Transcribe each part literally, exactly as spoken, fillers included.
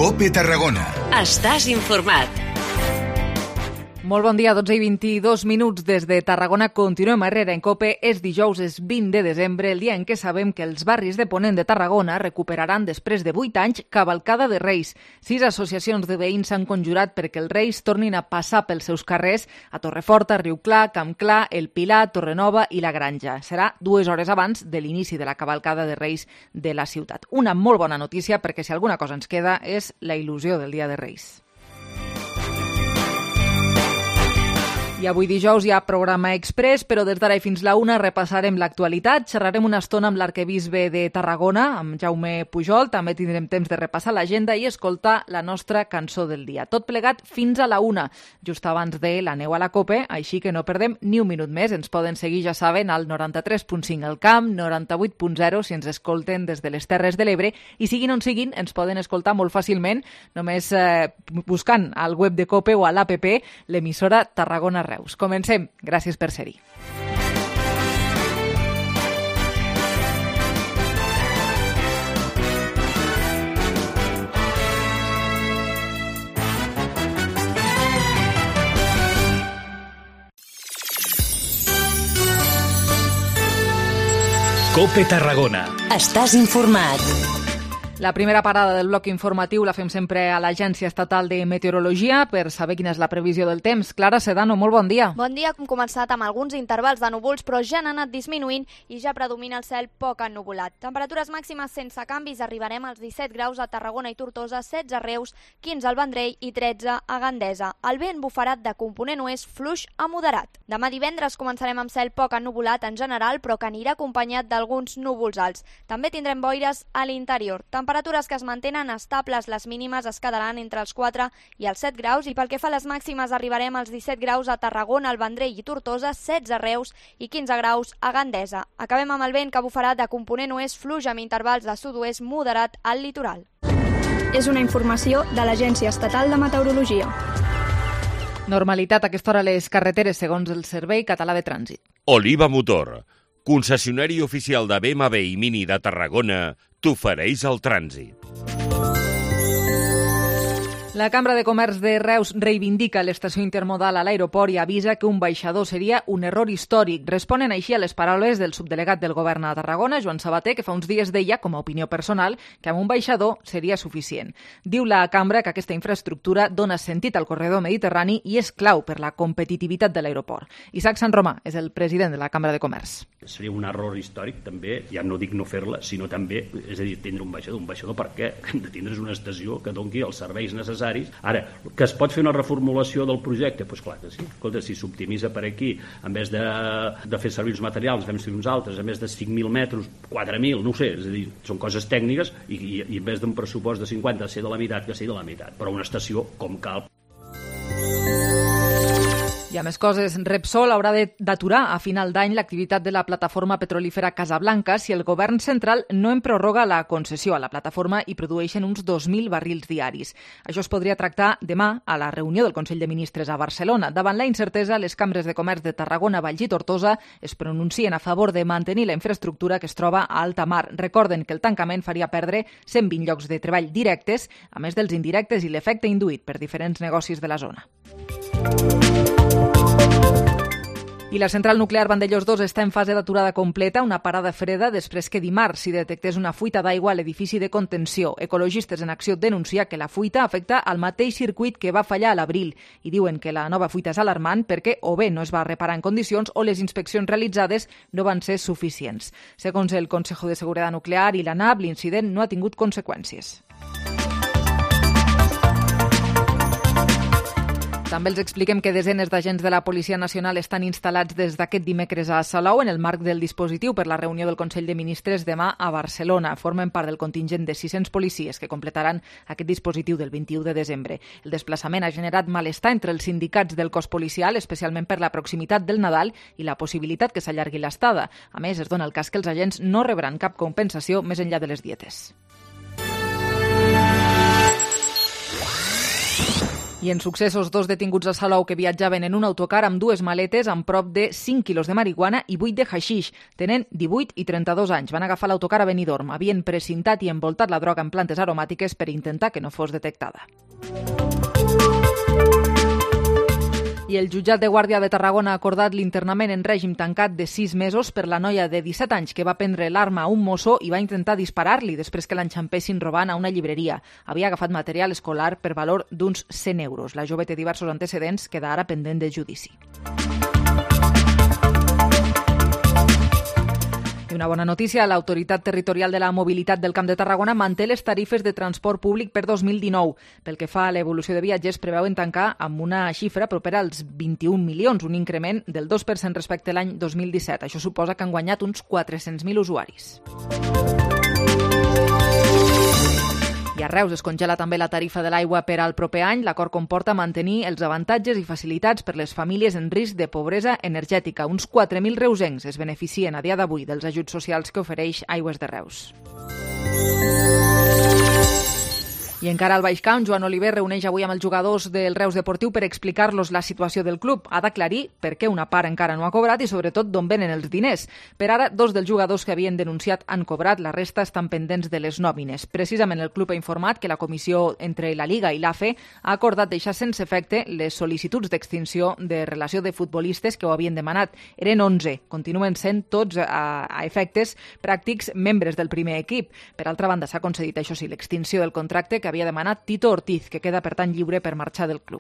COPE Tarragona. Estàs informat. Molt bon dia, dotze i vint-i-dos minuts des de Tarragona. Continuem a Herrera en COPE. És dijous, és vint de desembre, el dia en què sabem que els barris de Ponent de Tarragona recuperaran després de vuit anys Cavalcada de Reis. Sis associacions de veïns s'han conjurat perquè els Reis tornin a passar pels seus carrers a Torreforta, Riuclar, Campclar, El Pilar, Torrenova i La Granja. Serà dues hores abans de l'inici de la Cavalcada de Reis de la ciutat. Una molt bona notícia perquè si alguna cosa ens queda és la il·lusió del Dia de Reis. I avui dijous hi ha programa express, però des d'ara i fins la una repassarem l'actualitat. Xerrarem una estona amb l'arquebisbe de Tarragona, amb Jaume Pujol. També tindrem temps de repassar l'agenda i escoltar la nostra cançó del dia. Tot plegat fins a la una, just abans de la neu a la COPE, així que no perdem ni un minut més. Ens poden seguir, ja saben, al noranta-tres punt cinc al Camp, noranta-vuit punt zero si ens escolten des de les Terres de l'Ebre, i siguin on siguin, ens poden escoltar molt fàcilment, només eh, buscant al web de COPE o a l'A P P, l'emissora Tarragona Reus. Comencem. Gràcies per ser-hi. COPE Tarragona. Estàs informat. La primera parada del bloc informatiu la fem sempre a l'Agència Estatal de Meteorologia per saber quina és la previsió del temps. Clara Sedano, molt bon dia. Bon dia, hem començat amb alguns intervals de núvols, però ja han anat disminuint i ja predomina el cel poc ennuvolat. Temperatures màximes sense canvis, arribarem als disset graus a Tarragona i Tortosa, setze a Reus, quinze al Vendrell i tretze a Gandesa. El vent bufarà de component oest fluix a moderat. Demà divendres començarem amb cel poc ennuvolat en general, però que anirà acompanyat d'alguns núvols alts. També tindrem boires a l'interior. Temperatures que es mantenen estables, les mínimes es quedaran entre els quatre i els set graus i pel que fa a les màximes arribarem als disset graus a Tarragona, al Vendrell i Tortosa, setze a Reus i quinze graus a Gandesa. Acabem amb el vent que bufarà de component oest fluix amb intervals de sud-oest moderat al litoral. És una informació de l'Agència Estatal de Meteorologia. Normalitat a aquesta hora a les carreteres segons el Servei Català de Trànsit. Oliva Motor, concessionari oficial de B M W i Mini de Tarragona, t'ofereix el trànsit. La Cambra de Comerç de Reus reivindica l'estació intermodal a l'aeroport i avisa que un baixador seria un error històric. Responen així a les paraules del subdelegat del govern a Tarragona, Joan Sabater, que fa uns dies deia, com a opinió personal, que amb un baixador seria suficient. Diu la Cambra que aquesta infraestructura dona sentit al corredor mediterrani i és clau per la competitivitat de l'aeroport. Isaac Sant Romà és el president de la Cambra de Comerç. Seria un error històric també, ja no dic no fer-la, sinó també, és a dir, tindre un baixador. Un baixador perquè hem de tindre una estació que doni els serveis necessaris. Ara, que es pot fer una reformulació del projecte? Doncs clar que sí. Escolta, si s'optimitza per aquí, en vez de, de fer servir els materials, fem servir uns altres, a més de cinc mil metres, quatre mil, no ho sé, és a dir, són coses tècniques i, i, i en vez d'un pressupost de cinquanta ser de la meitat, que sigui de la meitat, però una estació com cal. Hi ha més coses. Repsol haurà d'aturar a final d'any l'activitat de la plataforma petrolífera Casablanca si el govern central no en prorroga la concessió a la plataforma i produeixen uns dos mil barrils diaris. Això es podria tractar demà a la reunió del Consell de Ministres a Barcelona. Davant la incertesa, les cambres de comerç de Tarragona, Valls i Tortosa es pronuncien a favor de mantenir la infraestructura que es troba a alta mar. Recorden que el tancament faria perdre cent vint llocs de treball directes, a més dels indirectes i l'efecte induït per diferents negocis de la zona. I la central nuclear Vandellós dos està en fase d'aturada completa, una parada freda després que dimarts s'hi detectés una fuita d'aigua a l'edifici de contenció. Ecologistes en Acció denuncia que la fuita afecta al mateix circuit que va fallar a l'abril i diuen que la nova fuita és alarmant perquè o bé no es va reparar en condicions o les inspeccions realitzades no van ser suficients. Segons el Consejo de Seguridad Nuclear i l'ANAP, l'incident no ha tingut conseqüències. També els expliquem que desenes d'agents de la Policia Nacional estan instal·lats des d'aquest dimecres a Salou en el marc del dispositiu per la reunió del Consell de Ministres demà a Barcelona. Formen part del contingent de sis-cents policies que completaran aquest dispositiu del vint-i-u de desembre. El desplaçament ha generat malestar entre els sindicats del cos policial, especialment per la proximitat del Nadal i la possibilitat que s'allargui l'estada. A més, es dona el cas que els agents no rebran cap compensació més enllà de les dietes. I en successos, dos detinguts a Salou que viatjaven en un autocar amb dues maletes amb prop de cinc quilos de marihuana i vuit de haixix. Tenen divuit i trenta-dos anys. Van agafar l'autocar a Benidorm. Havien precintat i envoltat la droga en plantes aromàtiques per intentar que no fos detectada. I el jutjat de Guàrdia de Tarragona ha acordat l'internament en règim tancat de sis mesos per la noia de disset anys que va prendre l'arma a un mosso i va intentar disparar-li després que l'enxampessin robant a una llibreria. Havia agafat material escolar per valor d'uns cent euros. La jove té diversos antecedents, queda ara pendent de judici. I una bona notícia, l'Autoritat Territorial de la Mobilitat del Camp de Tarragona manté les tarifes de transport públic per dos mil dinou. Pel que fa a l'evolució de viatgers, preveuen tancar amb una xifra propera als vint-i-un milions, un increment del dos per cent respecte a l'any dos mil disset. Això suposa que han guanyat uns quatre-cents mil usuaris. I a Reus es congela també la tarifa de l'aigua per al proper any. L'acord comporta mantenir els avantatges i facilitats per les famílies en risc de pobresa energètica. Uns quatre mil reusencs es beneficien a dia d'avui dels ajuts socials que ofereix Aigües de Reus. I encara al Baix Camp, Joan Oliver reuneix avui amb els jugadors del Reus Deportiu per explicar-los la situació del club. Ha d'aclarir per què una part encara no ha cobrat i, sobretot, d'on venen els diners. Per ara, dos dels jugadors que havien denunciat han cobrat, la resta estan pendents de les nòmines. Precisament el club ha informat que la comissió entre la Liga i l'A F E ha acordat deixar sense efecte les sol·licituds d'extinció de relació de futbolistes que ho havien demanat. Eren onze. Continuen sent tots a, a efectes pràctics membres del primer equip. Per altra banda, s'ha concedit, això sí, l'extinció del contracte que havia demanat Tito Ortiz, que queda per tant lliure per marxar del club.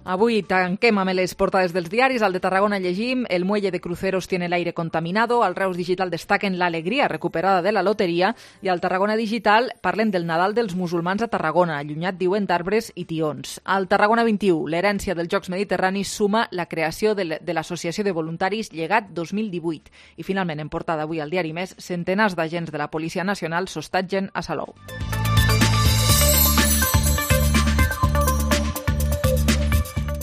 Avui tanquem amb les portades dels diaris. Al de Tarragona llegim: el muelle de cruceros tiene el aire contaminado. Al Reus Digital destaquen l'alegria recuperada de la loteria. I al Tarragona Digital parlen del Nadal dels musulmans a Tarragona, allunyat, diuen, d'arbres i tions. Al Tarragona vint-i-u, l'herència dels Jocs Mediterranis suma la creació de l'Associació de Voluntaris Llegat dos mil divuit. I finalment, en portada avui al diari Més, centenars d'agents de la Policia Nacional s'hostatgen a Salou.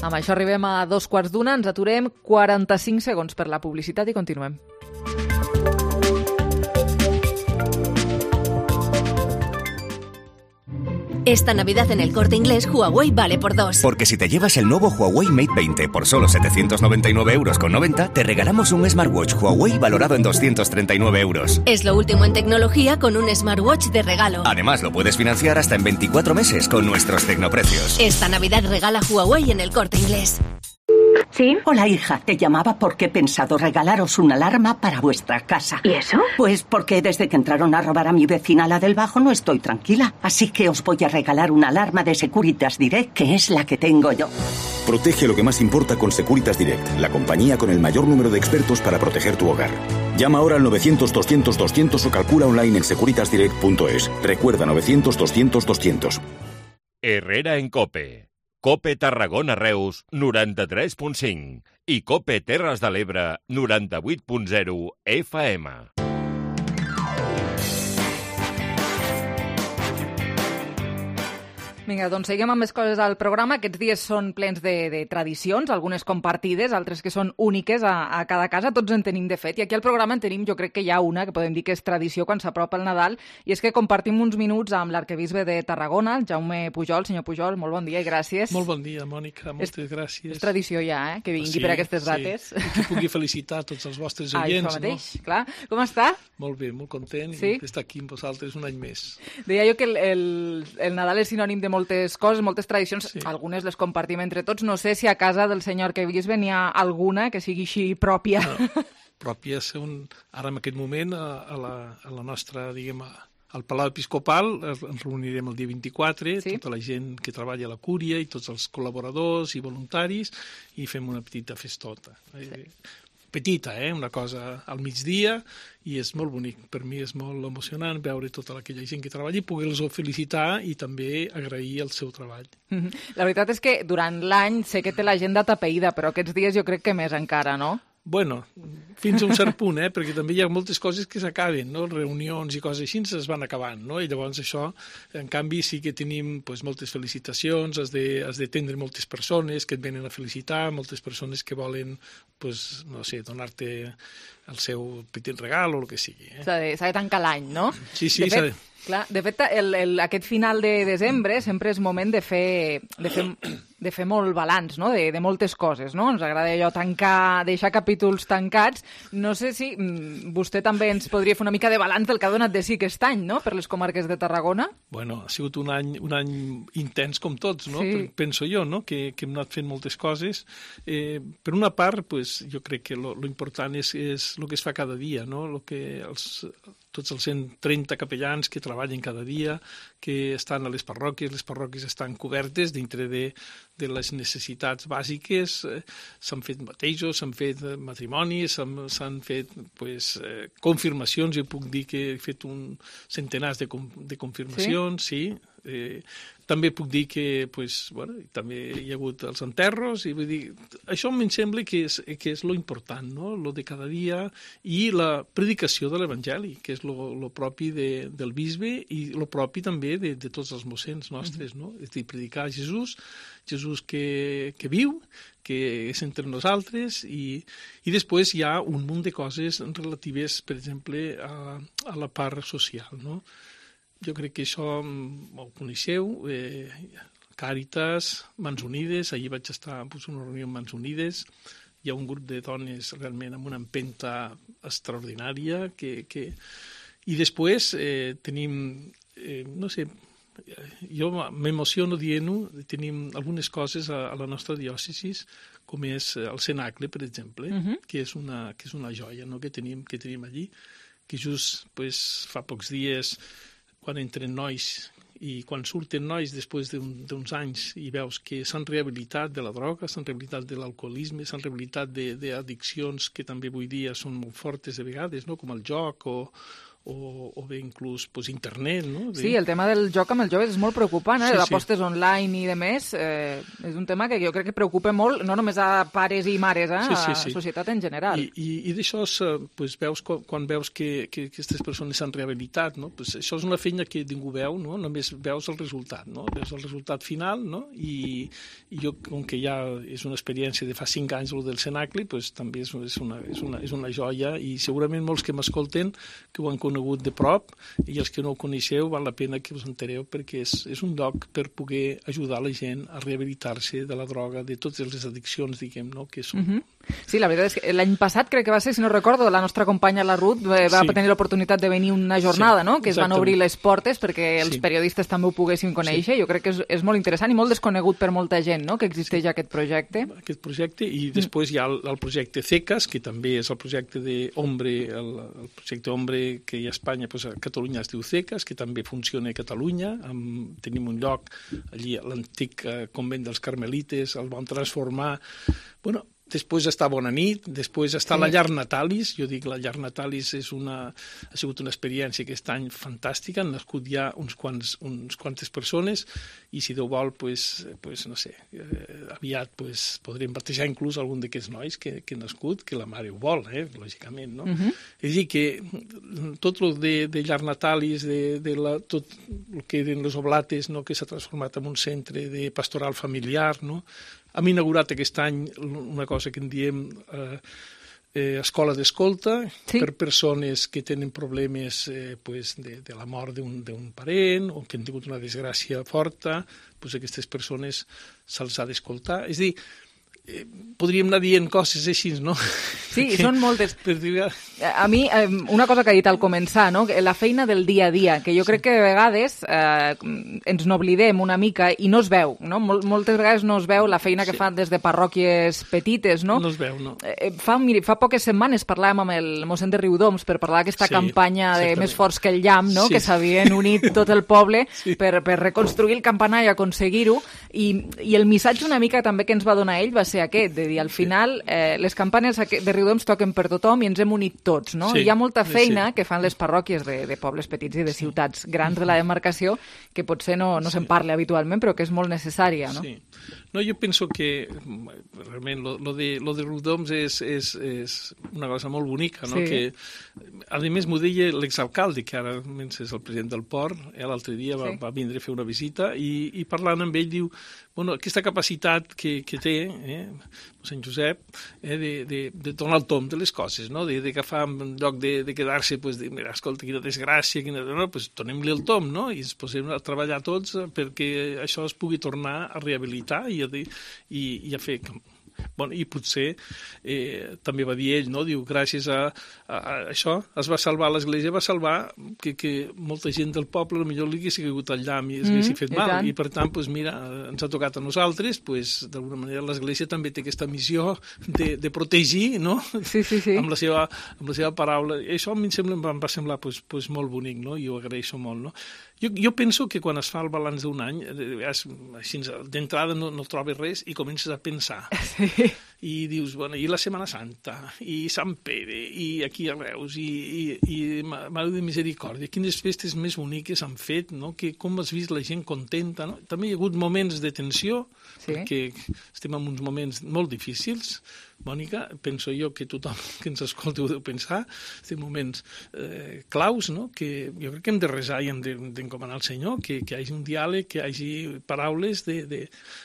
Amb això arribem a dos quarts d'una, ens aturem quaranta-cinc segons per la publicitat i continuem. Esta Navidad en el Corte Inglés, Huawei vale por dos. Porque si te llevas el nuevo Huawei Mate veinte por solo setecientos noventa y nueve euros con noventa, te regalamos un smartwatch Huawei valorado en doscientos treinta y nueve euros. Es lo último en tecnología con un smartwatch de regalo. Además, lo puedes financiar hasta en veinticuatro meses con nuestros tecnoprecios. Esta Navidad regala Huawei en el Corte Inglés. ¿Sí? Hola, hija. Te llamaba porque he pensado regalaros una alarma para vuestra casa. ¿Y eso? Pues porque desde que entraron a robar a mi vecina, la del Bajo, no estoy tranquila. Así que os voy a regalar una alarma de Securitas Direct, que es la que tengo yo. Protege lo que más importa con Securitas Direct, la compañía con el mayor número de expertos para proteger tu hogar. Llama ahora al novecientos doscientos doscientos o calcula online en securitas direct punto es. Recuerda, novecientos doscientos doscientos. Herrera en COPE. COPE Tarragona Reus noranta-tres punt cinc i COPE Terres de l'Ebre noranta-vuit punt zero F M. Vinga, doncs seguim amb més coses al programa. Aquests dies són plens de, de tradicions, algunes compartides, altres que són úniques a, a cada casa. Tots en tenim, de fet. I aquí al programa en tenim, jo crec que hi ha una que podem dir que és tradició quan s'apropa el Nadal, i és que compartim uns minuts amb l'arquebisbe de Tarragona, Jaume Pujol. Senyor Pujol, molt bon dia i gràcies. Molt bon dia, Mònica. Moltes és, gràcies. És tradició ja, eh?, que vingui sí, per aquestes dates. Sí, i que pugui felicitar tots els vostres oients. Ah, això mateix, no? Clar. Com està? Molt bé, molt content sí? d'estar aquí amb vosaltres un any més. Deia jo que el, el, el Nadal és sinònim de moltes coses, moltes tradicions, sí. Algunes les compartim entre tots. No sé si a casa del senyor arquebisbe n'hi ha alguna que sigui així pròpia. No, pròpia, un, ara en aquest moment, a, a, la, a la nostra, diguem, al Palau Episcopal, ens reunirem el dia vint-i-quatre, sí? Tota la gent que treballa a la cúria i tots els col·laboradors i voluntaris, i fem una petita festota. Sí. Petita, eh? Una cosa al migdia, i és molt bonic. Per mi és molt emocionant veure tota aquella gent que treballa i poder-los felicitar i també agrair el seu treball. La veritat és que durant l'any sé que té l'agenda tapeïda, però aquests dies jo crec que més encara, no? Bueno, fins a un cert punt, eh? Perquè també hi ha moltes coses que s'acaben, no? Reunions i coses així es van acabant, no? I llavors això, en canvi, sí que tenim pues, moltes felicitacions, has de, has d'atendre moltes persones que et venen a felicitar, moltes persones que volen, pues, no sé, donar-te el seu petit regal o el que sigui. Eh? S'ha de, s'ha de tancar l'any, no? Sí, sí, de fet, de... Clar, de fet, el, el, aquest final de desembre sempre és moment de fer, de fer, de fer molt balanç, no? de, de moltes coses, no? Ens agrada allò tancar, deixar capítols tancats. No sé si mm, vostè també ens podria fer una mica de balanç del que ha donat de sí aquest any, no?, per les comarques de Tarragona. Bueno, ha sigut un any, un any intens com tots, no? Sí. Penso jo, no?, que, que hem anat fent moltes coses. Eh, per una part, pues, jo crec que lo, lo important és, és el que es fa cada dia, no? Lo que els, tots els cent trenta capellans que treballen cada dia, que estan a les parròquies, les parròquies estan cobertes dintre de, de les necessitats bàsiques, eh, s'han fet batejos, s'han fet matrimonis, s'han fet pues, eh, confirmacions, jo puc dir que he fet un centenars de, de confirmacions, sí, sí. Eh, també puc dir que pues, bueno, també hi ha hagut els enterros, i vull dir, això em sembla que és, que és lo important, no? Lo de cada dia, i la predicació de l'Evangeli, que és lo, lo propi de, del bisbe i lo propi també de, de tots els mossens nostres, no? És a dir, predicar Jesús, Jesús que, que viu, que és entre nosaltres, i, i després hi ha un munt de coses relatives, per exemple, a, a la part social, no? Jo crec que això ho coneixeu, eh, Càritas, Mans Unides, ahir vaig estar en una reunió amb Mans Unides, hi ha un grup de dones realment amb una empenta extraordinària, que, que... i després eh, tenim, eh, no sé, jo m'emociono dient-ho, tenim algunes coses a, a la nostra diòcesi, com és el cenacle, per exemple, uh-huh. que, és una, que és una joia, no?, que tenim, que tenim allí, que just pues, fa pocs dies, quan entren nois i quan surten nois després d'un, d'uns anys i veus que s'han rehabilitat de la droga, s'han rehabilitat de l'alcoholisme, s'han rehabilitat d'addiccions que també avui dia són molt fortes de vegades, no?, com el joc o, o, o bé inclús pues, internet. No? Sí, el tema del joc amb els joves és molt preocupant, eh? Sí, d'apostes sí. online i de més, eh, és un tema que jo crec que preocupa molt, no només a pares i mares, eh? Sí, sí, sí. A la societat en general. I, i, i d'això pues, veus quan, quan veus que, que aquestes persones s'han rehabilitat, no? Pues, això és una feina que ningú veu, no? Només veus el resultat, no? Veus el resultat final, no? I, i jo, com que ja és una experiència de fa cinc anys el del cenacle, pues, també és, és, una, és, una, és una joia, i segurament molts que m'escolten que ho han conegut de prop, i els que no ho coneixeu val la pena que us entereu, perquè és, és un lloc per poder ajudar la gent a rehabilitar-se de la droga, de totes les addiccions, diguem, no?, que són. Uh-huh. Sí, la veritat és que l'any passat crec que va ser, si no recordo, la nostra companya la Ruth va sí. tenir l'oportunitat de venir una jornada, sí, no?, que es van obrir les portes perquè els sí. periodistes també ho poguessin conèixer. Sí. Jo crec que és, és molt interessant i molt desconegut per molta gent, no?, que existeix sí. aquest projecte. Aquest projecte, i després mm. hi ha el, el projecte CECAS, que també és el projecte d'Hombre, el, el projecte Hombre que hi ha a Espanya, doncs a Catalunya es diu CECAS, que també funciona a Catalunya. Amb, tenim un lloc allí, l'antic eh, convent dels Carmelites, el vam transformar. Bueno, després està Bona Nit, després està sí. la Llar Natalis. Jo dic la Llar Natalis és una, ha sigut una experiència aquest any fantàstica, han nascut ja uns quants, uns quantes persones, i si Déu vol, pues, pues, no sé, eh, aviat pues, podrem batejar inclús algun d'aquests nois que, que han nascut, que la mare ho vol, eh, lògicament, no? Uh-huh. És a dir, que tot el de, de Llar Natalis, de, de la, tot el que eren les oblates, no?, que s'ha transformat en un centre de pastoral familiar, no?, hem inaugurat aquest any una cosa que en diem eh, eh, escola d'escolta sí. per persones que tenen problemes eh, pues, de, de la mort d'un parent o que han tingut una desgràcia forta, pues, aquestes persones se'ls ha d'escoltar. És a dir, eh, podríem anar dient coses així, no? Sí, que, són moltes. Per dir... A mi, eh, una cosa que ha dit al començar, no? La feina del dia a dia, que jo crec que de vegades eh, ens n'oblidem una mica i no es veu, no? Mol, moltes vegades no es veu la feina que sí. fan des de parròquies petites, no? No es veu, no. Eh, fa, miri, fa poques setmanes parlàvem amb el mossèn de Riudoms per parlar d'aquesta sí, campanya de Més forts que el llamp, no? Sí. Que s'havien unit tot el poble sí. per, per reconstruir el campanar i aconseguir-ho, i, i el missatge una mica també que ens va donar ell va ser aquest, de dir, al final eh, les campanes de Riudoms toquen per tothom i ens hem unit tots, no? Sí, hi ha molta feina sí. que fan les parròquies de, de pobles petits i de ciutats grans de la demarcació que potser no, no sí. se'n parla habitualment, però que és molt necessària, no? Sí. No, jo penso que realment lo, lo de, lo de Riudoms és, és, és una cosa molt bonica, no? Sí. Que, a més, m'ho deia l'exalcalde, que ara és el president del port, eh, l'altre dia va, sí. va vindre a fer una visita i, i parlant amb ell diu, bueno, aquesta capacitat que, que té eh, Sant Josep eh, de, de, de donar el tom de les coses, no? de, de agafar en lloc de, de quedar-se, pues, de, mira, escolta, quina desgràcia, quina... no, pues, donem-li el tom, no? I ens posem a treballar tots perquè això es pugui tornar a rehabilitar i a, de, i, i a fer... Bueno, i potser eh, també va dir ell, no? Diu, gràcies a, a, a això es va salvar l'església, va salvar que, que molta gent del poble potser li hagués caigut al llamp i es hagués fet mal, i per tant, pues, mira, ens ha tocat a nosaltres, pues, d'alguna manera l'església també té aquesta missió de, de protegir, no? Sí, sí, sí. Amb la seva, amb la seva paraula. I això a mi em, sembla, em va semblar pues, pues, molt bonic, no? I ho agraeixo molt, no? Jo, jo penso que quan es fa el balanç d'un any, així d'entrada no, no trobes res i comences a pensar. Sí. I dius, bueno, i la Setmana Santa, i Sant Pere, i aquí a Reus, i, i, i Mare de Misericòrdia, quines festes més boniques han fet, no? Que, com has vist la gent contenta, no? També hi ha hagut moments de tensió, sí. Perquè estem en uns moments molt difícils, Mònica, penso jo que tothom que ens escolti ho deu pensar, estem moments eh, claus, no? Que jo crec que hem de resar i hem d'encomanar al Senyor, que, que hi hagi un diàleg, que hi hagi paraules de, de,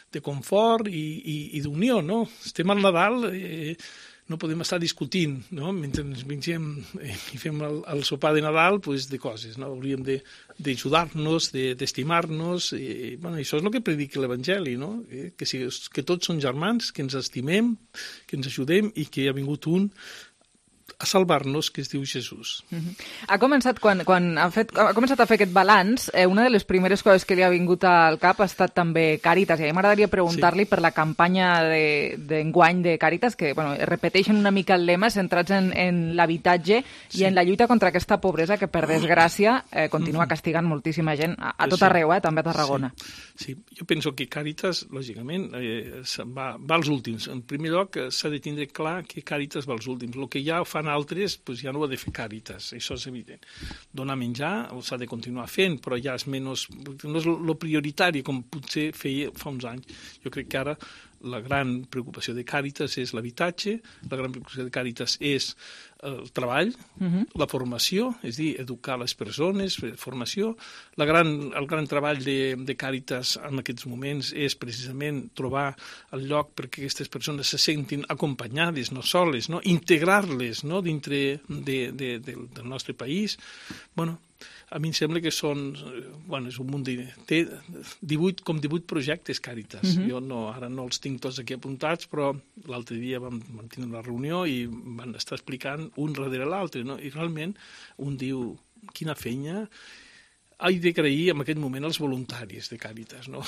de confort i, i, i d'unió, no? Estem al Nadal, eh, no podem estar discutint, no? Mentre ens mengem eh, i fem el, el sopar de Nadal, pues, de coses, no? Hauríem de d'ajudar-nos, d'estimar-nos, i, bueno, això és el que predica l'Evangeli, no? Eh, que, si, que tots són germans, que ens estimem, que ens ajudem i que hi ha vingut un a salvar-nos, que es diu Jesús. Uh-huh. Ha començat, quan, quan ha, fet, ha començat a fer aquest balanç, eh, una de les primeres coses que li ha vingut al cap ha estat també Càritas, i a mi m'agradaria preguntar-li sí. per la campanya d'enguany de, de Càritas, que bueno, repeteixen una mica el lema, centrats en, en l'habitatge sí. i en la lluita contra aquesta pobresa que, per desgràcia, eh, continua castigant moltíssima gent a, a tot sí. arreu, eh, també a Tarragona. Sí. sí, jo penso que Càritas, lògicament, eh, va, va als últims. En primer lloc, s'ha de tindre clar que Càritas va als últims. El que ja fan altres, pues ja no ho ha de fer Càritas, això és evident. Donar menjar s'ha de continuar fent, però ja és menys, no és el prioritari com potser feia fa uns anys. Jo crec que ara la gran preocupació de Càritas és l'habitatge, la gran preocupació de Càritas és el treball, uh-huh. la formació, és a dir, educar les persones, formació. La gran, el gran treball de, de Càritas en aquests moments és precisament trobar el lloc perquè aquestes persones se sentin acompanyades, no soles, no? Integrar-les, no? Dintre de, de, de, del nostre país. Bueno, a mi em sembla que són, bueno, és un munt de... Té divuit, com divuit projectes Càritas. Uh-huh. Jo no, ara no els tinc tots aquí apuntats, però l'altre dia vam, vam tenir una reunió i van estar explicant un darrere l'altre, no? I realment un diu, quina feina... He d'agrair en aquest moment els voluntaris de Càritas, no?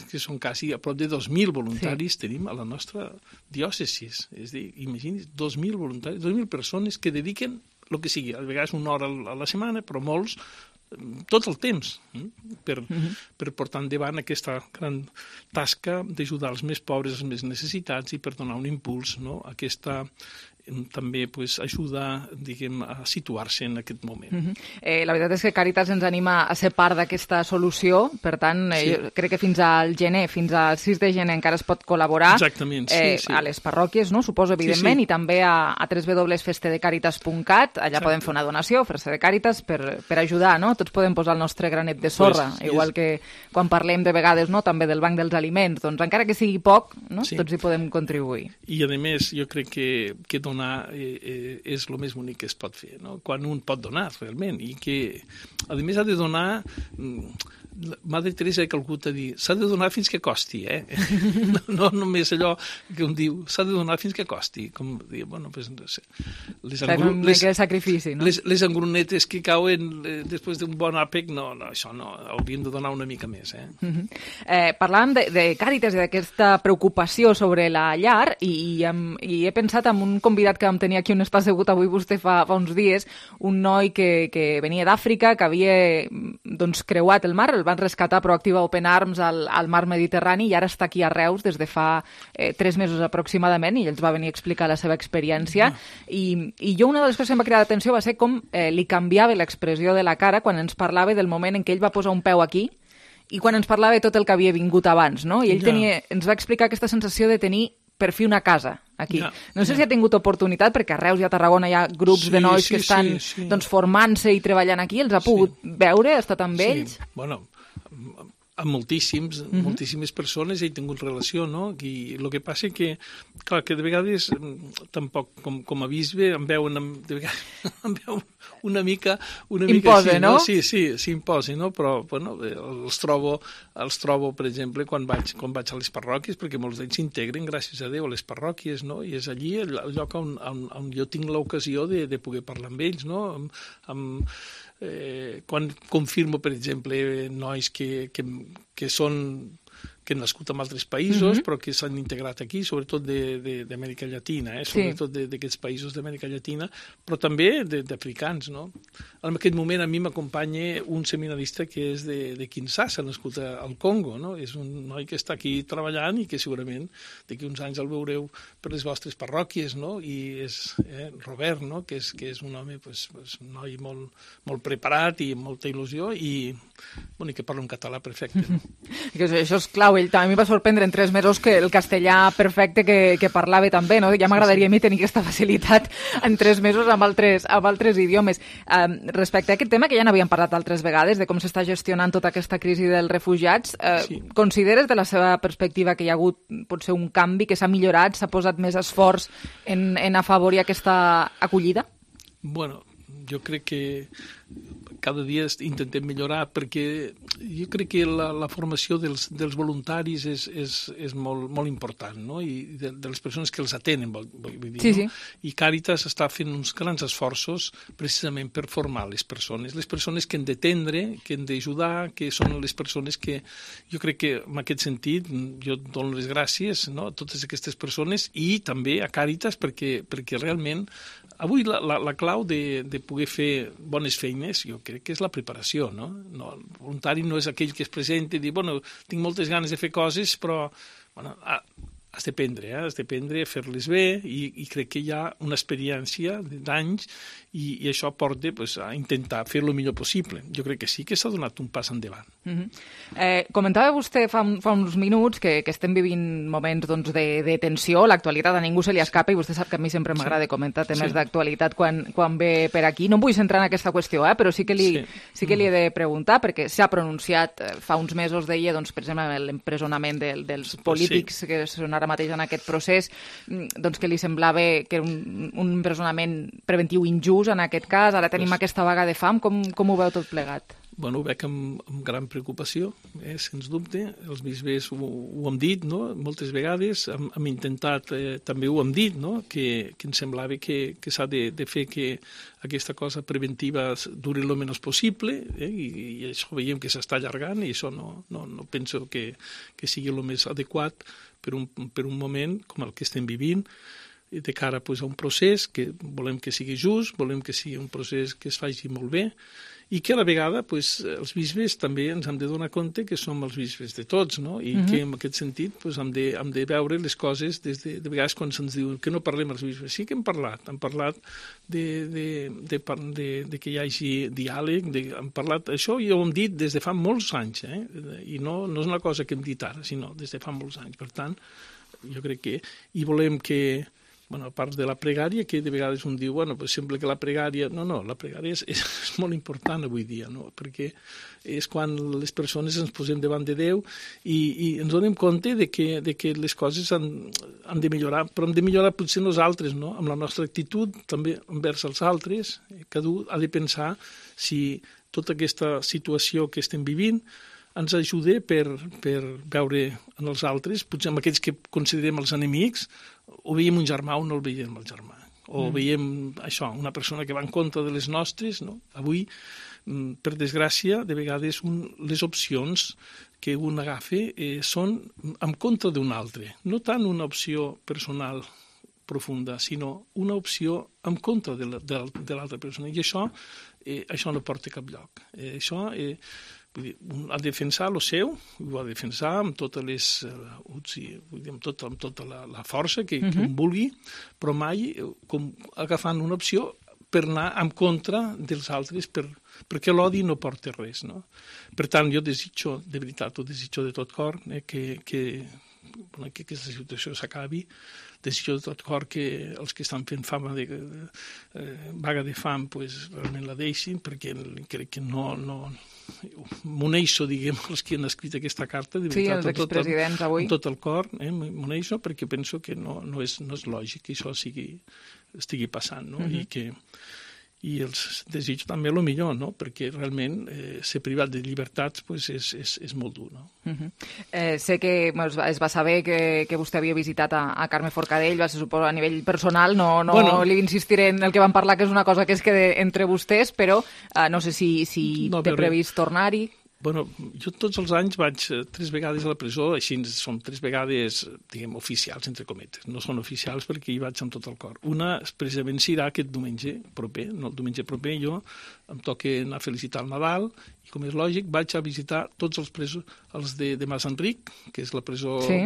Que són quasi a prop de dos mil voluntaris sí. tenim a la nostra diòcesis. És a dir, imagini's, dos mil voluntaris, dos mil persones que dediquen el que sigui, a vegades una hora a la setmana, però molts tot el temps eh? per, uh-huh. per portar endavant aquesta gran tasca d'ajudar els més pobres, els més necessitats i per donar un impuls, no? A aquesta també pues, ajuda diguem, a situar-se en aquest moment. Uh-huh. eh, la veritat és que Càritas ens anima a ser part d'aquesta solució, per tant, eh, sí. jo crec que fins al gener, fins al sis de gener encara es pot col·laborar. Exactament, sí, eh, sí. a les parròquies, no? Suposo, evidentment, sí, sí. i també a, a w w w punt feste de càritas punt cat, allà Exacte. Podem fer una donació, fer-se de Càritas, per, per ajudar, no? Tots podem posar el nostre granet de sorra, pues, igual és... que quan parlem de vegades no? també del banc dels aliments, doncs encara que sigui poc, no? sí. tots hi podem contribuir. I a més, jo crec que, que donar eh, eh, és el més bonic que es pot fer, no? Quan un pot donar realment, i que a més ha de donar, Madre Teresa de Calcuta dir, s'ha de donar fins que costi, eh? no, no només allò que un diu, s'ha de donar fins que costi, com dir, bueno, pues, no sé, les, engru... les, sacrifici, no? les, les engrunetes que cauen eh, després d'un bon àpec, no, no, això no, hauríem de donar una mica més, eh? Uh-huh. eh parlàvem de, de Càritas i d'aquesta preocupació sobre la llar, i, i, hem, i he pensat en un convidat que vam tenir aquí on està assegut avui vostè fa, fa uns dies, un noi que, que venia d'Àfrica, que havia doncs, creuat el mar, el van rescatar Proactiva Open Arms al, al mar Mediterrani i ara està aquí a Reus des de fa eh, tres mesos aproximadament i ens va venir a explicar la seva experiència mm. I, i jo una de les coses que em va cridar l'atenció va ser com eh, li canviava l'expressió de la cara quan ens parlava del moment en què ell va posar un peu aquí I quan ens parlava de tot el que havia vingut abans, no? I ell Ja. tenia, ens va explicar aquesta sensació de tenir per fi una casa aquí. Ja, No sé ja. si ha tingut oportunitat, perquè a Reus i a Tarragona hi ha grups Sí, de nois sí, que estan sí, sí. doncs, formant-se i treballant aquí. Els ha pogut veure, ha estat amb ells? Sí, bueno, amb moltíssims, uh -huh. moltíssimes persones he tingut relació, no? I el que passa que, clar, que de vegades tampoc, com, com a bisbe, em veuen, de vegades, em veuen una mica... Una Impose, mica així, no? Sí, sí, s'imposi, no? Però, bueno, els trobo, els trobo, per exemple, quan vaig, quan vaig a les parròquies, perquè molts d'ells s'integren, gràcies a Déu, a les parròquies, no? I és allí el, el lloc on, on, on jo tinc l'ocasió de, de poder parlar amb ells, no? Amb, amb, Eh, quan confirmo, per exemple, nois que, que, que són que han nascut en altres països, uh-huh. però que s'han integrat aquí, sobretot d'Amèrica Llatina, eh? sobretot sí. d'aquests països d'Amèrica Llatina, però també d'africans, no? En aquest moment a mi m'acompanya un seminarista que és de, de Kinshasa, nascut al Congo, no? És un noi que està aquí treballant i que segurament d'aquí uns anys el veureu per les vostres parròquies, no? I és eh, Robert, no? Que és, que és un home, pues, pues, un noi molt, molt preparat i amb molta il·lusió i, bueno, i que parla un català perfecte. No? Això és clau. Ell també em va sorprendre en tres mesos que el castellà perfecte que, que parlava també, no? Ja m'agradaria a mi tenir aquesta facilitat en tres mesos amb altres, amb altres idiomes. Um, respecte a aquest tema, que ja n'havíem parlat altres vegades, de com s'està gestionant tota aquesta crisi dels refugiats, uh, sí. consideres de la seva perspectiva que hi ha hagut potser un canvi, que s'ha millorat, s'ha posat més esforç en, en afavorir aquesta acollida? Bueno, jo crec que cada dia intentem millorar, perquè jo crec que la, la formació dels, dels voluntaris és, és, és molt, molt important, no? I de, de les persones que els atenen, vull, vull dir, sí, no? Sí. I Càritas està fent uns grans esforços precisament per formar les persones, les persones que han d'atendre, que han d'ajudar, que són les persones que, jo crec que en aquest sentit, jo dono les gràcies, no? A totes aquestes persones i també a Càritas, perquè, perquè realment avui la, la, la clau de, de poder fer bones feines, jo crec que és la preparació, no? No, el voluntari no és aquell que es presenta i diu, bueno, tinc moltes ganes de fer coses, però bueno, has d'aprendre, eh? has d'aprendre a fer-les bé i, i crec que hi ha una experiència d'anys i, i això porta pues, a intentar fer-lo el millor possible. Jo crec que sí que s'ha donat un pas endavant. Uh-huh. eh, comentava vostè fa, fa uns minuts que, que estem vivint moments doncs, de, de tensió, l'actualitat a ningú se li escapa i vostè sap que a mi sempre m'agrada sí. comentar temes sí. d'actualitat quan, quan ve per aquí. No em vull centrar en aquesta qüestió, eh, però sí que li, sí. Sí que li he de preguntar, perquè s'ha pronunciat eh, fa uns mesos, deia, doncs, per exemple, l'empresonament de, dels polítics sí. que són ara mateix en aquest procés, doncs que li semblava que era un, un empresonament preventiu injust en aquest cas, ara tenim pues... aquesta vaga de fam, com, com ho veu tot plegat? Bueno, ho veig amb, amb gran preocupació, eh, sens dubte. Els bisbes ho, ho hem dit, no? Moltes vegades hem, hem intentat, eh, també ho hem dit, no? que, que ens semblava que, que s'ha de, de fer que aquesta cosa preventiva duri el menys possible, eh? I, i això veiem que s'està allargant i això no, no, no penso que, que sigui el més adequat per un, per un moment com el que estem vivint, de cara pues, a un procés que volem que sigui just, volem que sigui un procés que es faci molt bé i que a la vegada pues, els bisbes també ens hem de donar compte que som els bisbes de tots, no? I uh-huh. que en aquest sentit pues, hem, de, hem de veure les coses des de, de vegades quan se'ns diu que no parlem els bisbes. Sí que hem parlat, hem parlat de, de, de, de, de que hi hagi diàleg, de, hem parlat, això ja ho hem dit des de fa molts anys, eh? I no, no és una cosa que hem dit ara, sinó des de fa molts anys. Per tant, jo crec que i volem que bueno, a part de la pregària, que de vegades un diu, bueno, pues sembla que la pregària... No, no, la pregària és, és molt important avui dia, no? Perquè és quan les persones ens posem davant de Déu i, i ens donem compte de que, de que les coses han, han de millorar, però hem de millorar potser nosaltres, no? Amb la nostra actitud, també envers els altres. Cadascú ha de pensar si tota aquesta situació que estem vivint ens ajuda per, per veure en els altres, potser amb aquells que considerem els enemics, o veiem un germà o no el veiem el germà. O mm. veiem això, una persona que va en contra de les nostres. No? Avui, per desgràcia, de vegades un, les opcions que un agafa eh, són en contra d'un altre. No tant una opció personal profunda, sinó una opció en contra de l'altra persona. I això, eh, això no porta a cap lloc. Eh, això... Eh, Vull dir, ha de defensar el seu, ho ha de defensar amb totes les, uh, vull dir, amb tota, amb tota la, la força que, uh-huh. que un vulgui, però mai com agafant una opció per anar en contra dels altres, per, perquè l'odi no porta res, no? Per tant, jo desitjo, de veritat, ho desitjo de tot cor, eh, que, que, bueno, que aquesta situació s'acabi, desitjo de tot cor que els que estan fent fama de, de, de vaga de fam pues, realment la deixin, perquè crec que no... no m'uneixo, diguem, els que han escrit aquesta carta, de veritat, sí, els expresidents tot el, avui. amb tot el cor, eh, m'uneixo perquè penso que no, no, és, no és lògic que això sigui, estigui passant, no? Uh-huh. I que i els desig també el millor, no? Perquè realment eh, ser privat de llibertats pues, és, és, és molt dur. No? Uh-huh. eh, sé que bueno, es va saber que, que vostè havia visitat a, a Carme Forcadell, va ser, suposo, a nivell personal, no, no bueno, li insistiré en el que van parlar, que és una cosa que es queda entre vostès, però eh, no sé si, si no, té previst tornar-hi. Bueno, jo tots els anys vaig tres vegades a la presó, així són tres vegades, diguem, oficials, entre cometes. No són oficials perquè hi vaig amb tot el cor. Una, precisament, serà aquest diumenge proper. No, el diumenge proper jo em toca anar a felicitar el Nadal i, com és lògic, vaig a visitar tots els presos, els de, de Mas Enric, que és la presó sí.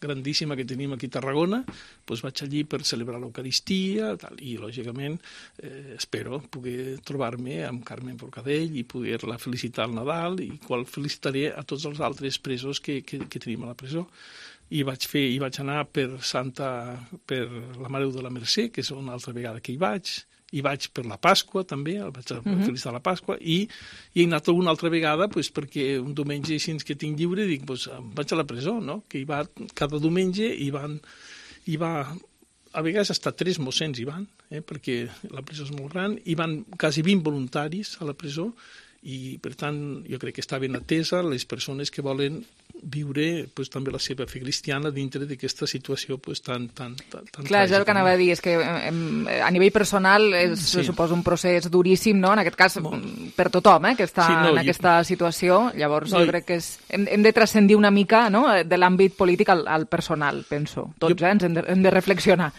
grandíssima que tenim aquí a Tarragona, doncs vaig allí per celebrar l'Eucaristia tal, i, lògicament, eh, espero poder trobar-me amb Carme Forcadell i poder-la felicitar al Nadal i qual felicitaré a tots els altres presos que, que, que tenim a la presó. I vaig fer, i vaig anar per Santa, per la Mare de la Mercè, que és una altra vegada que hi vaig, i vaig per la Pasqua també, vaig a uh-huh. felicitar la Pasqua, i, i he anat una altra vegada pues, perquè un diumenge així que tinc lliure dic, pues, vaig a la presó, no? Que hi va cada diumenge i van, hi va, a vegades hasta tres mossens hi van, eh? Perquè la presó és molt gran, hi van quasi vint voluntaris a la presó i, per tant, jo crec que està ben atesa les persones que volen viure pues, també la seva fe cristiana dintre d'aquesta situació pues, tan, tan, tan, tan Clar, és el que anava a dir, és que em, a nivell personal és, sí. suposo, un procés duríssim, no? En aquest cas, molt. Per tothom, eh, que està sí, no, en aquesta jo... situació. Llavors, no, jo crec que és, hem, hem de transcendir una mica, no?, de l'àmbit polític al, al personal, penso. Tots, jo... eh, ens hem de, hem de reflexionar.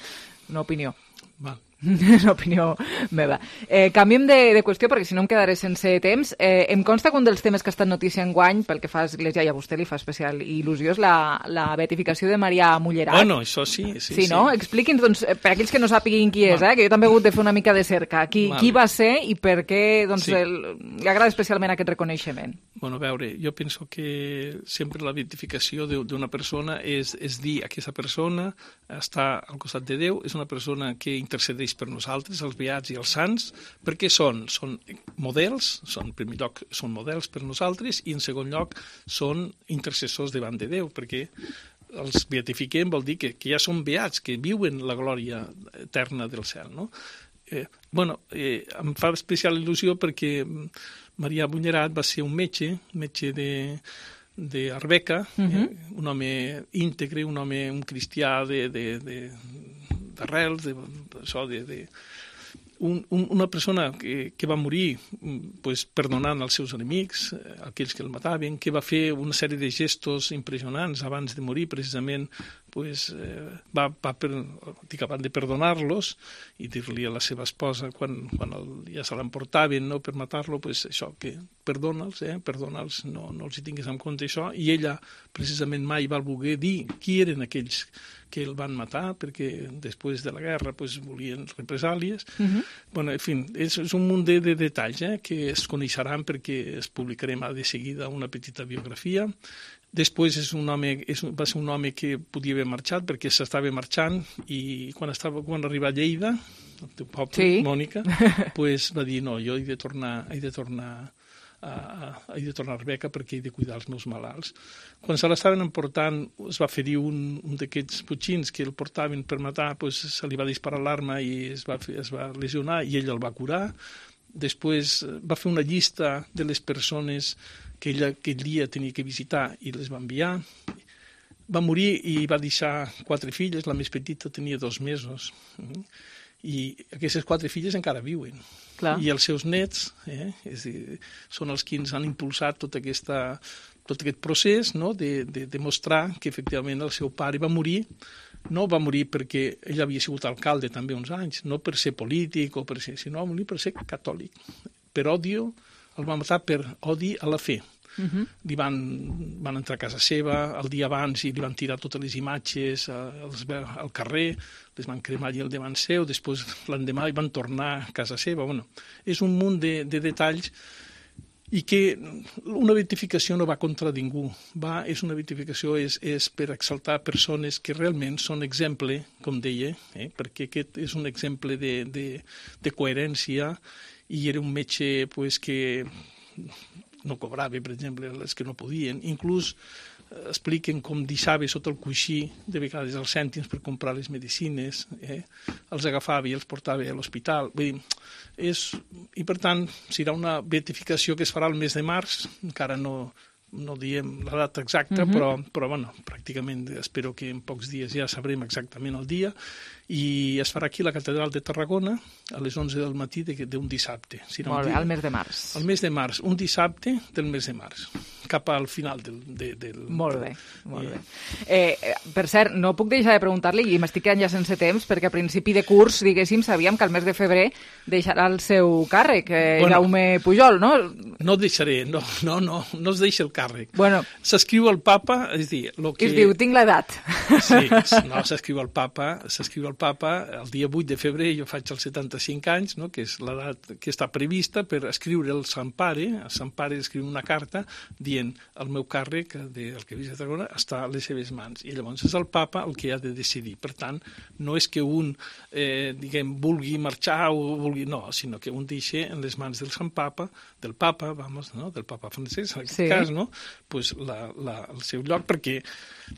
Una opinió. Val. És l'opinió meva. Eh, canviem de, de qüestió, perquè si no em quedaré sense temps. Eh, em consta que un dels temes que ha estat notícia enguany, pel que fa a Església, i a vostè li fa especial il·lusió, és la, la beatificació de Maria Mullerat. Bueno, això sí. Sí, sí no? Sí. Expliqui'ns, doncs, per aquells que no sàpiguin qui és, eh, que jo també he hagut de fer una mica de cerca. Qui, vale. qui va ser i per què doncs, sí. el, li agrada especialment aquest reconeixement? Bueno, a veure, jo penso que sempre la beatificació d'una persona és, és dir que aquesta persona està al costat de Déu, és una persona que intercedeix per nosaltres, els beats i els sants, perquè són, són models, són, en primer lloc són models per nosaltres i en segon lloc són intercessors davant de Déu, perquè els beatifiquem vol dir que, que ja són beats, que viuen la glòria eterna del cel, no? Eh, bueno, eh, em fa especial il·lusió perquè Maria Mullerat va ser un metge, metge de... d'Arbeca, uh-huh. eh, un home íntegre, un home, un cristià de, de, de, d'arrels, de, això, de, de, un, un, una persona que, que va morir pues, perdonant els seus enemics, aquells que el mataven, que va fer una sèrie de gestos impressionants abans de morir, precisament pues, eh, va, va per, dic, abans de perdonar-los i dir-li a la seva esposa quan, quan el, ja se l'emportaven no, per matar-lo, pues, això, que perdona'ls, eh, perdona'ls, no, no els hi tinguis en compte això, i ella precisament mai va voler dir qui eren aquells que el van matar, perquè després de la guerra pues, volien represàlies. Uh-huh. Bueno, en fi, és, és un munt de, de detalls eh, que es coneixeran perquè es publicarem de seguida una petita biografia. Després és un home, és, va ser un home que podia haver marxat perquè s'estava marxant i quan, estava, quan arriba a Lleida, el teu poble, sí. Mònica, pues, va dir no, jo he de tornar, he de tornar a, a, he de tornar a Arbeca perquè he de cuidar els meus malalts. Quan se l'estaven emportant es va ferir un, un d'aquests butxins que el portaven per matar, pues, se li va disparar l'arma i es va, es va lesionar i ell el va curar. Després va fer una llista de les persones que ella aquell dia tenia que visitar i les va enviar. Va morir i va deixar quatre filles, la més petita tenia dos mesos. I aquestes quatre filles encara viuen. Clar. I els seus nets eh, és dir, són els que ens han impulsat tota aquesta, tot aquest procés no, de, de demostrar que efectivament el seu pare va morir. No va morir perquè ell havia sigut alcalde també uns anys, no per ser polític, o per ser, sinó va morir per ser catòlic. Per odio, el va matar per odi a la fe. Uh-huh. Li van, van entrar a casa seva el dia abans i li van tirar totes les imatges als, al carrer, les van cremar allà al davant seu, després l'endemà van tornar a casa seva. Bueno, és un munt de, de detalls i que una beatificació no va contra ningú, va, és una beatificació és, és per exaltar persones que realment són exemple, com deia, eh, perquè aquest és un exemple de, de, de coherència, i era un metge pues, que no cobrava, per exemple, els que no podien. Inclús eh, expliquen com deixava sota el coixí, de vegades els cèntims per comprar les medicines, eh? Els agafava i els portava a l'hospital. Vull dir, és... I per tant, serà una beatificació que es farà el mes de març, encara no, no diem la data exacta, uh-huh. però, però bueno, pràcticament espero que en pocs dies ja sabrem exactament el dia, i es farà aquí a la Catedral de Tarragona a les onze del matí d'un dissabte. Molt bé, al mes de març. Al mes de març, un dissabte del mes de març, cap al final del... De, del molt bé, molt bé. Eh, per cert, no puc deixar de preguntar-li, i m'estic quedant ja sense temps, perquè a principi de curs, diguéssim, sabíem que al mes de febrer deixarà el seu càrrec, eh, bueno, Jaume Pujol, no? No deixaré, no, no, no, no es deixa el càrrec. Bueno. S'escriu al papa, és dir... Lo que... Es diu, tinc l'edat. Sí, no, s'escriu al papa, s'escriu al papa, el dia vuit de febrer jo faig els setanta-cinc anys, no? Que és l'edat que està prevista per escriure el Sant Pare, el Sant Pare escriu una carta dient el meu càrrec del que visc a Tarragona està a les seves mans, i llavors és el papa el que ha de decidir. Per tant, no és que un eh, diguem, vulgui marxar o vulgui... No, sinó que un deixa en les mans del Sant Papa, del papa, vamos, no? Del papa francès, en aquest sí. cas, no? Pues la, la, el seu lloc, perquè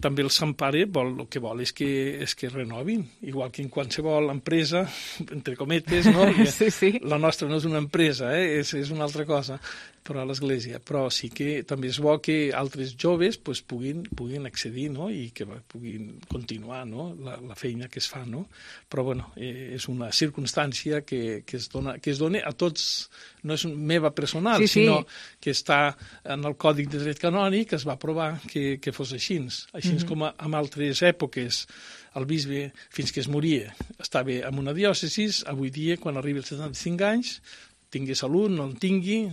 també el Sant Pare vol, el que vol és que, és que renovin, igual que en qualsevol empresa, entre cometes, no? Sí, sí. La nostra no és una empresa, eh? és, és una altra cosa, però a l'Església. Però sí que també és bo que altres joves pues, puguin, puguin accedir, no? I que puguin continuar, no? la, la feina que es fa. No? Però bueno, eh, és una circumstància que, que, es dona, que es dona a tots, no és meva personal, sí, sí. sinó que està en el Còdic de Dret Canònic, que es va aprovar que, que fos així. Així mm-hmm. com en altres èpoques el bisbe, fins que es moria, estava en una diòcesi, avui dia, quan arriba als setanta-cinc anys, tingui salut, no en tingui,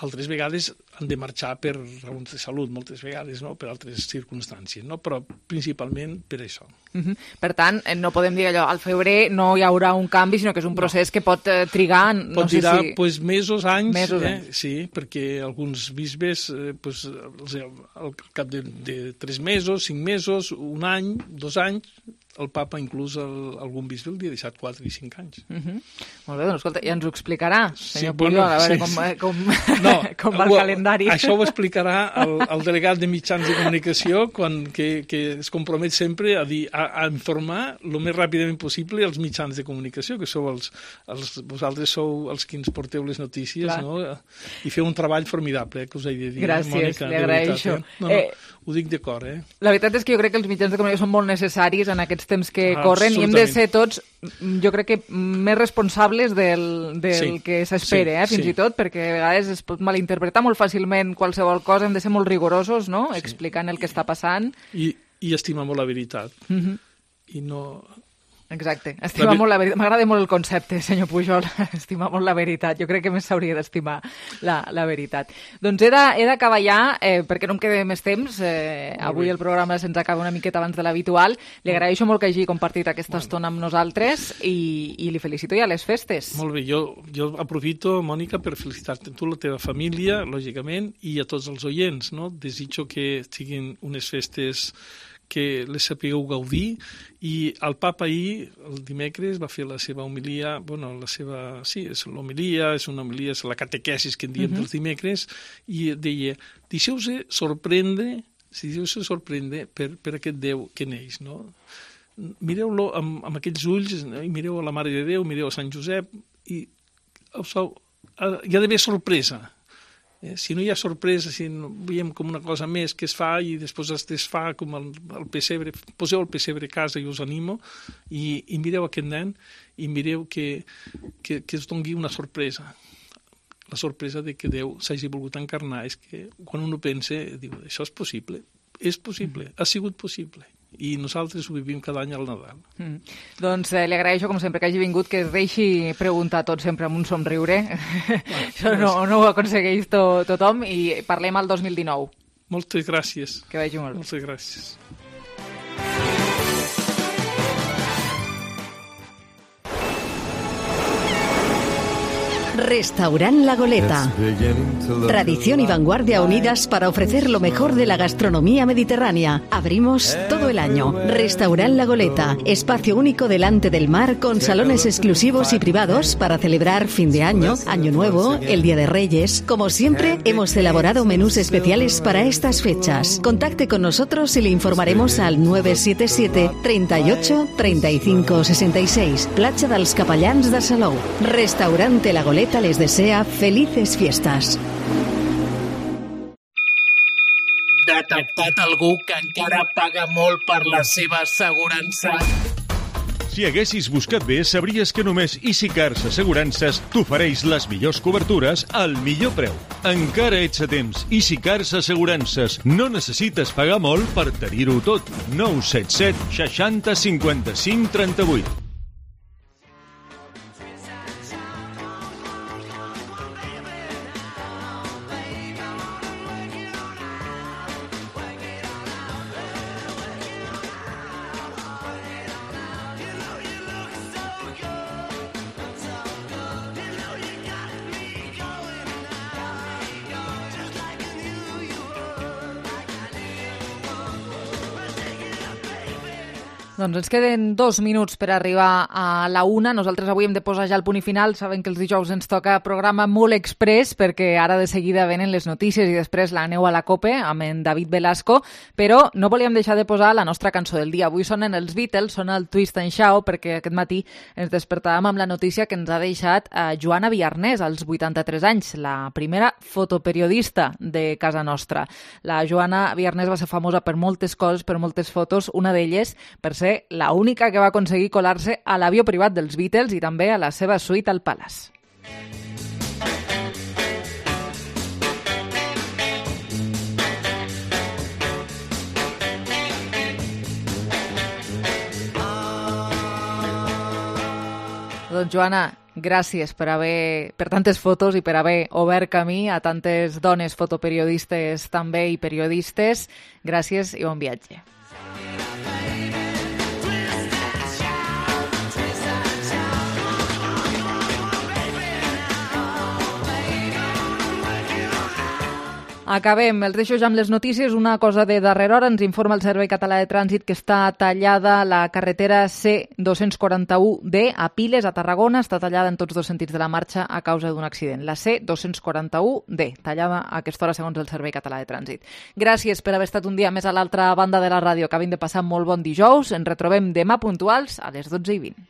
altres vegades han de marxar per raons de salut, moltes vegades, no? Per altres circumstàncies, no? Però principalment per això. Uh-huh. Per tant, no podem dir allò, al febrer no hi haurà un canvi, sinó que és un procés no. que pot eh, trigar... No pot sé trigar si... pues, mesos, anys, mesos, eh? anys, sí, perquè alguns bisbes, eh, pues, al cap de, de tres mesos, cinc mesos, un any, dos anys, el papa, inclús el, algun bisbe, el dia deixat quatre i cinc anys. Uh-huh. Molt bé, doncs escolta, ja ens ho explicarà, senyor sí, Pujol, bueno, a veure sí, com, sí. com, no, com va el ho, calendari. Això ho explicarà el, el delegat de mitjans de comunicació quan, que, que es compromet sempre a, dir, a, a informar el més ràpidament possible els mitjans de comunicació, que sou els, els, vosaltres sou els que ens porteu les notícies, clar. No? I feu un treball formidable, eh, que us he de dir. Gràcies, Mònica, li agraeixo. Eh? No, no, eh, ho dic de cor, eh? La veritat és que jo crec que els mitjans de comunicació són molt necessaris en aquests temps que ah, corren i hem de ser tots, jo crec que més responsables del, del sí, que s'espera, sí, eh, fins sí. i tot, perquè a vegades es pot malinterpretar molt fàcilment qualsevol cosa, hem de ser molt rigorosos, no?, sí. explicant el que està passant. I, i estimar molt la veritat. Mm-hmm. I no... Exacte, estimar la... molt la veritat. M'agrada molt el concepte, senyor Pujol, estimar molt la veritat. Jo crec que més s'hauria d'estimar la, la veritat. Doncs he d'acabar ja, eh, perquè no em queda més temps. Eh, avui el programa se'ns acaba una miqueta abans de l'habitual. Li agraeixo molt que hagi compartit aquesta bueno. estona amb nosaltres i, i li felicito ja les festes. Molt bé, jo, jo aprofito, Mònica, per felicitar-te tu, la teva família, lògicament, i a tots els oients, no? Desitjo que siguin unes festes que les sapigueu gaudir, i el papa ahir, el dimecres, va fer la seva homilia, bueno, la seva, sí, és l'homilia, és una homilia, és la catequesis que en diem uh-huh. dels dimecres, i deia, deixeu-se sorprendre, si deixeu-se sorprendre per, per aquest Déu que neix, no? Mireu-lo amb, amb aquells ulls, i mireu a la Mare de Déu, mireu a Sant Josep, i hi ha d'haver sorpresa. Eh, si no hi ha sorpresa, si no, veiem com una cosa més que es fa i després es desfà com el, el pessebre, poseu el pessebre a casa i us animo, i, i mireu aquest nen i mireu que, que, que es doni una sorpresa. La sorpresa de que Déu s'hagi volgut encarnar és que quan un ho pensa, diu, això és possible, és possible, ha sigut possible. i nosaltres ho vivim cada any al Nadal. Mm. Doncs eh, li agraeixo, com sempre, que hagi vingut, que es deixi preguntar tot sempre amb un somriure. Ah, Això no, no ho aconsegueix to, tothom, i parlem al dos mil dinou. Moltes gràcies. Que vagi molt bé. Moltes gràcies. Restaurant La Goleta. Tradición y vanguardia unidas para ofrecer lo mejor de la gastronomía mediterránea. Abrimos todo el año. Restaurant La Goleta. Espacio único delante del mar con salones exclusivos y privados para celebrar fin de año, Año Nuevo, el Día de Reyes. Como siempre, hemos elaborado menús especiales para estas fechas. Contacte con nosotros y le informaremos al nueve siete siete, treinta y ocho, treinta y cinco, sesenta y seis. Platja dels Capellans de Salou. Restaurante La Goleta les desea felices fiestas. Detectat algú que encara paga molt per la seva assegurança? Si haguessis buscat bé, sabries que només EasyCars Assegurances t'ofereix les millors cobertures al millor preu. Encara ets a temps. EasyCars Assegurances. No necessites pagar molt per tenir-ho tot. nou set set, seixanta, cinquanta-cinc, trenta-vuit. Doncs ens queden dos minuts per arribar a la una. Nosaltres avui hem de posar ja el punt i final. Saben que els dijous ens toca programa molt express, perquè ara de seguida venen les notícies i després l'aneu a la COPE amb en David Velasco, però no volíem deixar de posar la nostra cançó del dia. Avui sonen els Beatles, sona el Twist and Shout, perquè aquest matí ens despertàvem amb la notícia que ens ha deixat eh, Joana Viarnés, als vuitanta-tres anys, la primera fotoperiodista de casa nostra. La Joana Viarnés va ser famosa per moltes coses, per moltes fotos, una d'elles per ser la única que va aconseguir colar-se a l'avió privat dels Beatles i també a la seva suite al Palace. Doncs Joana, gràcies per haver per tantes fotos i per haver obert camí a tantes dones fotoperiodistes també i periodistes. Gràcies i bon viatge. Acabem. Els deixo ja amb les notícies. Una cosa de darrera hora. Ens informa el Servei Català de Trànsit que està tallada la carretera C dos-cents quaranta-u D a Piles, a Tarragona. Està tallada en tots dos sentits de la marxa a causa d'un accident. La C dos-cents quaranta-u D, tallada a aquesta hora segons el Servei Català de Trànsit. Gràcies per haver estat un dia més a l'altra banda de la ràdio. Acabin de passar molt bon dijous. Ens retrobem demà puntuals a les dotze i vint.